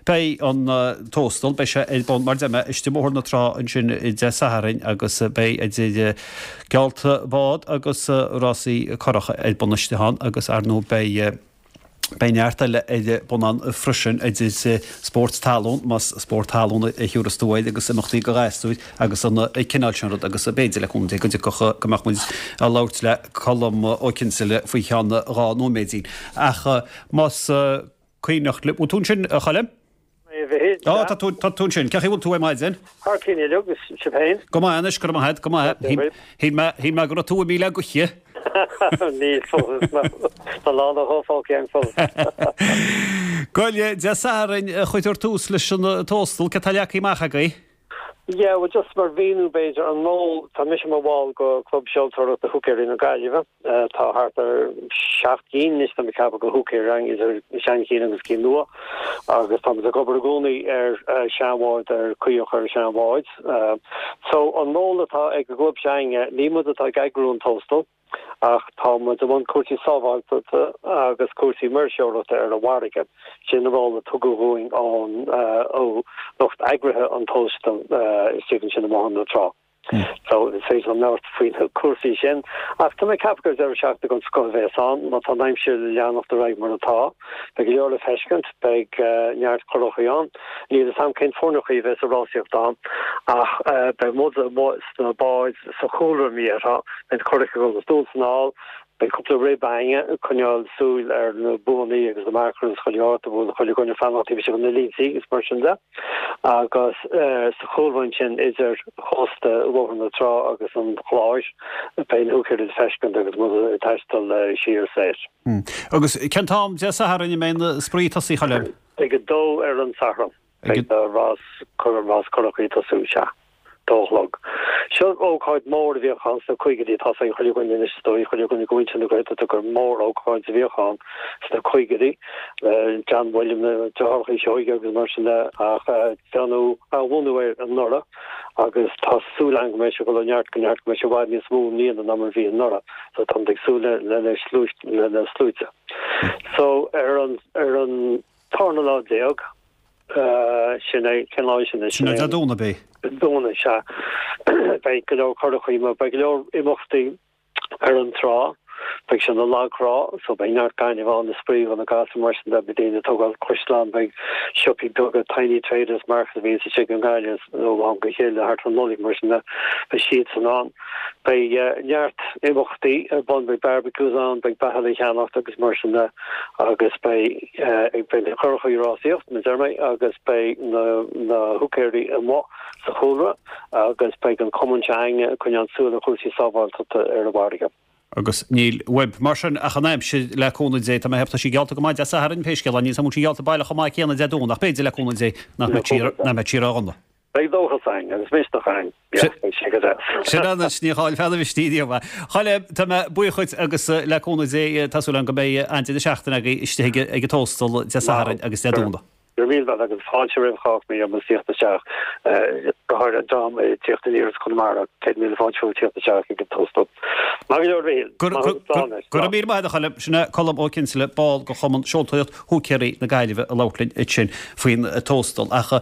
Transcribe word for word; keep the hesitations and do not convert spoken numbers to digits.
Beidh an Tóstal, beidh sé ar bun mar a deir mé istigh i mBóthar na Trá ansin Dé Sathairn agus beidh idir geallta bád agus rásaí curach ar bun istigh ann agus ar ndóigh beidh Beidh neart eile ar bun ann freisin idir spórt talún, más spórt talún a thiúrfas tú air agus imeachtaí do ghasúir agus an cineál sin rud agus b'fhéidir le cúnamh Dé go dtiocfadh go mbeadh muid ag labhairt le Colm Ó Cinnseala faoi cheann dhá nóiméidín. Ach más cuimhneach libh, bhfuil tú ansin a Choilm? A Mhichíl, Á, tá tú, tá tú ansin. Cén chaoi a bhfuil tú ar maidin? Thar cionn uilig, agus sibh féin? Go maith anois, go raibh maith agat, go maith. Shíl mé, shíl mé go raibh tú imithe le gaoth. Níl fós, tá lán a dhó fágtha agam fós. Gabh i leith, Dé Sathairn a chuirtear tús leis an Tóstal, cad tá leagtha amach agaibh? Yeah, well just mar mhíniú b'fhéidir, an ról, tá mise mar bhall go Club Seoltóireachta Húicéirí na Gaillimhe, tá thart ar seacht gcinn anois tá mé ag ceapadh de húicéirí againn, idir seanchinn agus cinn nua, agus táimid ag obair i gcónaí ar seanbháid, ar chaoi a chur ar seanbháid. So an ról atá ag an gclub s'againne, ní muid atá ag eagrú an Tóstal, Ach tá muid i mbun cúrsaí sábháilteachta agus cúrsaí maoirseoireachta ar an bhfarraige. Sin an ról a tugadh dhúinn ón ó lucht eagraithe an Tóstail istigh ansin i mBóthar na Trá. So is féidir liom labhairt faoi na cúrsaí sin. Ach tá mé ag ceapadh gur deireadh seachtaine den scoth a bhéas ann, má tá an aimsir le leanacht ar aghaidh mar atá. Beidh go leor le feiscint, beidh neart curachaí ann. Níl a fhios a'm cén foirneachaí a bhéas ag rásaíocht ann ach beidh muid amuigh sna báid sa chúlra, mar a déarfá. Beidh na curacha ag dul anonn is anall, beidh cúpla rib againne ag coinneáil súil ar na buannaí agus na marcanna is chuile shórt a bhfuil chuile dhuine fanacht taobh istigh de na línte agus mar sin de. Agus sa chúlra ansin idir chósta Bhóthar na Trá agus an Chláir beidh na húicéirí le feiscint agus muid ag taisteal siar soir. Agus cén t-am Dé Sathairn a mbeidh an spraoi ag tosaí, a Choilm? Ag a dó ar an Satharn beidh na rás rás curachaí ag tosú, sea. dó a chlog. Seo ócáid mhór a bhíodh ann sna caogaidí, tá 's ag chuile dhuine anois is dóigh, chuile dhuine de mhuintir na Gaeltachta gur mór-ócáid a bhíodh ann sna caogaidí, le John William, na deartháireacha Seoige agus mar sin de, ach déanadh athbhunú air anuraidh agus tá súil agam go mbeidh sé ag dul ó neart go neart, go mbeidh sé i bhfad níos mó i mbliana ná mar a bhí anuraidh, so táimid ag súil le na le na sluaite. So ar an ar an tarna lá déag, Sin é, cén lá é sin? Sin é Dé Domhnaigh, ab é? Domhnach, sea. Beidh go leor curachaí mar beidh go leor imeachtaí ar an trá. Beidh sé ina lagthrá, so beidh neart gainimh ann is spraoi do na gasúir mar sin de, beidh daoine ag tógáil caisleán, beidh siopaí beaga, tiny traders market a bhíonns istigh i nGaillimh ó am go chéile thart ar an Nollaig mar sin de, beidh siadsan ann. Beidh neart imeachtaí ar bun, beidh barbecues ann, beidh beatha le ceannacht agus mar sin de agus beidh beidh na curachaí ag rásaíocht, mar a deir mé, agus beidh na na húicéirí amuigh sa chúlra agus beidh an cumann seo againne ag coinneáil súil ar chúrsaí sábháilteachta ar an bhfarraige. Agus níl uaibh mar sin ach an aimsir le cúnamh Dé. Tá mé ag ceapadh tá sí geallta go maith Dé Sathairn pé scéal é, níl 's agam an bhfuil sí geallta baileach chomh maith céanna Dé Domhnaigh ach b'fhéidir le cúnamh Dé nach mbeidh sí ró-dhona. Beidh dóchas againn agus misneach againn. Yeah, beidh sé go deas. Sin anois, ní chaillfead an mhisnigh riamh. A Choilm, tá mé buíoch dhuit agus le cúnamh Dé tá súil agam go mbeidh an-deireadh seachtaine agaibh istigh ag an Tóstal Dé Sathairn agus Dé Domhnaigh. Go raibh míle maith agat agus fáilte roimh chách mé agus tíocht isteach, go háirithe an dream ag tíocht aniar as Conamara, céad míle fáilte romhaibh tíocht isteach ag an Tóstal. Maith go leor a Mhichíl. Go raibh míle maith agat a Choilm. Sin é Colm Ó Cinnseala, ball de Chumann Seoltóireacht Húicéirí na Gaillimhe ag labhairt linn ansin faoin Tóstal. Ach.